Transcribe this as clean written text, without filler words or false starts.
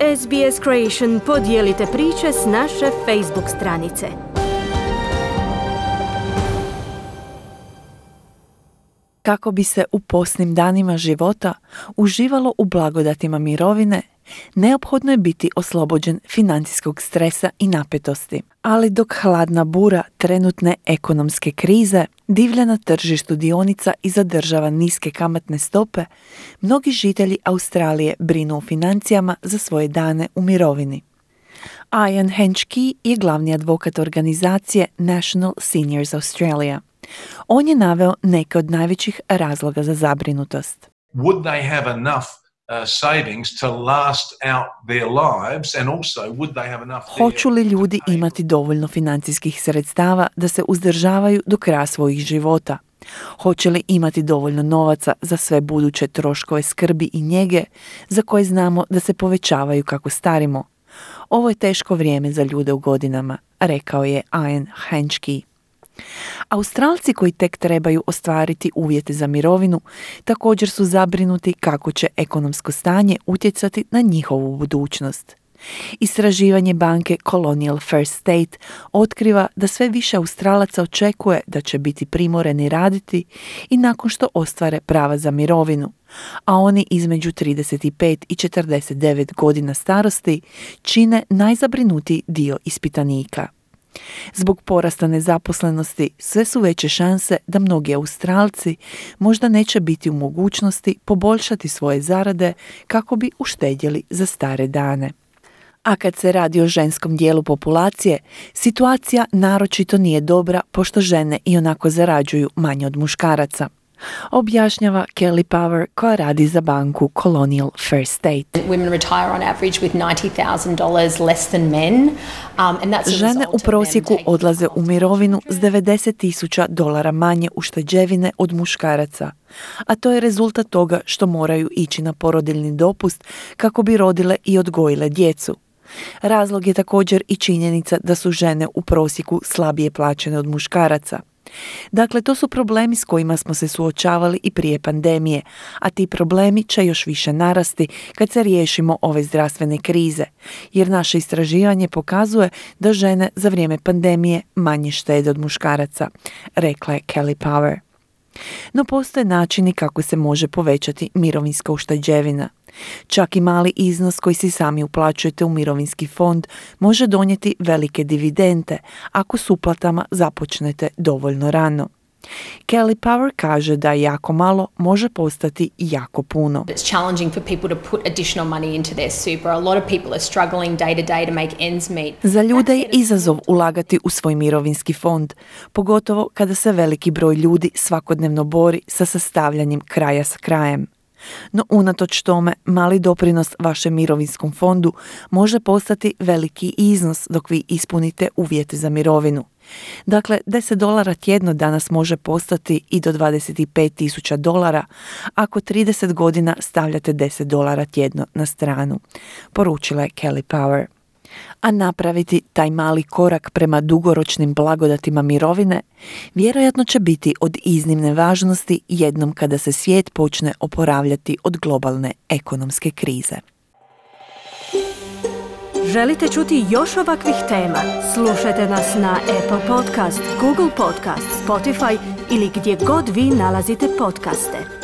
SBS Creation podijelite priče s naše Facebook stranice. Kako bi se u posljednjim danima života uživalo u blagodatima mirovine, neophodno je biti oslobođen financijskog stresa i napetosti. Ali dok hladna bura trenutne ekonomske krize divlja na tržištu dionica i zadržava niske kamatne stope, mnogi žitelji Australije brinu o financijama za svoje dane u mirovini. Ian Henschke je glavni advokat organizacije National Seniors Australia. On je naveo neke od najvećih razloga za zabrinutost. Would they have enough savings to last out their lives, and also would they have enough? Hoću li ljudi imati dovoljno financijskih sredstava da se uzdržavaju do kraja svojih života? Hoće li imati dovoljno novaca za sve buduće troškove skrbi i njege za koje znamo da se povećavaju kako starimo? Ovo je teško vrijeme za ljude u godinama, rekao je Ian Henschke. Australci koji tek trebaju ostvariti uvjete za mirovinu također su zabrinuti kako će ekonomsko stanje utjecati na njihovu budućnost. Istraživanje banke Colonial First State otkriva da sve više Australaca očekuje da će biti primoreni raditi i nakon što ostvare prava za mirovinu, a oni između 35 i 49 godina starosti čine najzabrinutiji dio ispitanika. Zbog porasta nezaposlenosti sve su veće šanse da mnogi Australci možda neće biti u mogućnosti poboljšati svoje zarade kako bi uštedjeli za stare dane. A kad se radi o ženskom dijelu populacije, situacija naročito nije dobra pošto žene ionako zarađuju manje od muškaraca, objašnjava Kelly Power koja radi za banku Colonial First State. Women retire on average with $90,000 less than men. Žene u prosjeku odlaze u mirovinu s $90,000 manje ušteđevine od muškaraca, a to je rezultat toga što moraju ići na porodiljni dopust kako bi rodile i odgojile djecu. Razlog je također i činjenica da su žene u prosjeku slabije plaćene od muškaraca. Dakle, to su problemi s kojima smo se suočavali i prije pandemije, a ti problemi će još više narasti kad se riješimo ove zdravstvene krize, jer naše istraživanje pokazuje da žene za vrijeme pandemije manje štede od muškaraca, rekla je Kelly Power. No postoje načini kako se može povećati mirovinska ušteđevina. Čak i mali iznos koji si sami uplaćujete u mirovinski fond može donijeti velike dividende ako s uplatama započnete dovoljno rano. Kelly Power kaže da jako malo može postati jako puno. It's challenging for people to put additional money into their super. A lot of people are struggling day to day to make ends meet. Za ljude je izazov ulagati u svoj mirovinski fond, pogotovo kada se veliki broj ljudi svakodnevno bori sa sastavljanjem kraja s krajem. No unatoč tome, mali doprinos vašem mirovinskom fondu može postati veliki iznos dok vi ispunite uvjete za mirovinu. Dakle, $10 tjedno danas može postati i do $25,000 ako 30 godina stavljate $10 tjedno na stranu, poručila je Kelly Power. A napraviti taj mali korak prema dugoročnim blagodatima mirovine vjerojatno će biti od iznimne važnosti jednom kada se svijet počne oporavljati od globalne ekonomske krize. Želite čuti još ovakvih tema? Slušajte nas na Apple Podcast, Google Podcast, Spotify ili gdje god vi nalazite podcaste.